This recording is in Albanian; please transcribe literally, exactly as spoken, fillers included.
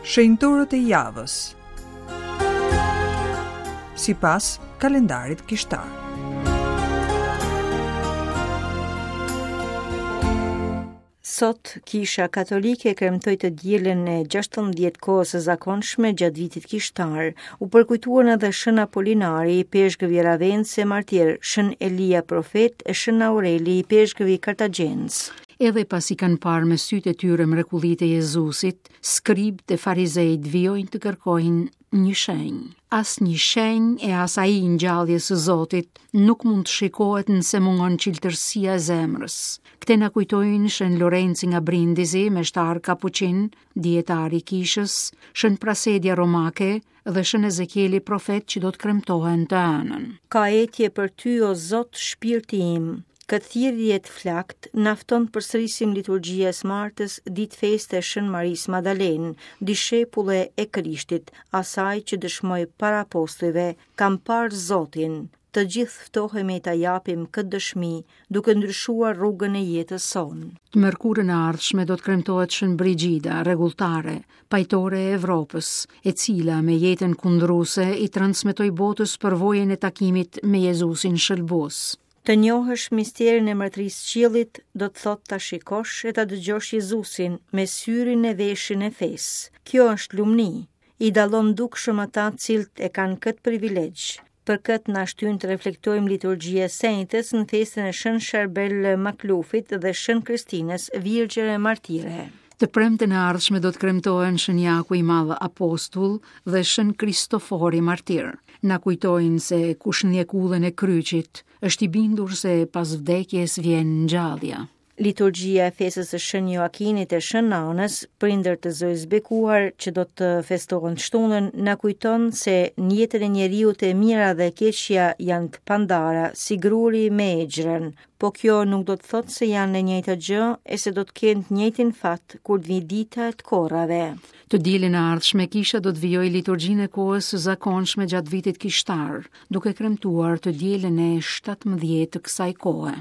Shenjtorët e javës. Sipas kalendarit kishtar. Sot, Kisha Katolike kremtoi të dielën e gjashtëmbëdhjetë kohës së zakonshme gjatë vitit kishtar. U përkujtuan edhe Shën Apolinari, ipeshkëv i Ravenës e martir, Shën Elia profet e Shën Aureli, ipeshkëv i Kartagjenës. Edhe pasi kanë parë me sytë e tyre mrekullitë e Jezusit, skribët e farizejt vijojnë të kërkojnë një shenjë. As një shenjë e as ai i ngjalljes së Zotit nuk mund të shikohet nëse mungon çiltërsia e zemrës. Këtë na kujtojnë Shën Lorenci nga Brindisi, meshtar kapuçin, dietar i kishës, Shën Prasedia Romake dhe Shën Ezekieli profet që do të kremtohen të anën. Ka etje për ty, o Zot, shpirti im. Këtë thirrje të flakt na fton të përsërisim liturgjia e së martës, ditë feste e Shën Marisë Madalenë, dishepulle e Krishtit, asaj që dëshmoi para apostujve, kam parë Zotin. Të gjithë ftohemi ta japim këtë dëshmi, duke ndryshuar rrugën e jetës sonë. Të mërkurën e ardhshme do të kremtohet Shën Brigida, rregulltare, pajtore e Evropës, e cila me jetën kundruese i transmetoi botës përvojën e takimit me Jezusin shëlbues. Të njohësh misterin e mbretërisë së qiellit do të thotë ta shikosh e ta dëgjosh Jezusin me syrin e veshin e fesë. Kjo është lumni. I dallon dukshëm ata të cilët e kanë këtë privilegj. Për këtë na shtyn të reflektojmë liturgjia e Senjtës në festën e Shën Sharbel Maklufit dhe Shën Kristinës, Virgjër e Martire. Të premten e ardhshme do të kremtohen Shën Jaku i Madh Apostull dhe Shën Kristofori Martir. Na kujtojnë se kush ndjek udhën e kryqit është i bindur se pas vdekjes vjen ngjallja. Liturgjia e festës së Shën Joakinit e Shën Anës, prindër të Zojës Bekuar, që do të festohen shtunën, na kujton se në jetën e njeriut e mira dhe e keqja janë të pandara, si gruri me egjrën. Po kjo nuk do të thotë se janë e njëjta gjë e se do të kenë të njëjtin fat kur të vijë dita e të korrave. Të dielën e ardhshme kisha do të vijojë liturgjinë e kohës së zakonshme gjatë vitit kishtar, duke kremtuar të dielën e shtatëmbëdhjetë të kësaj kohe.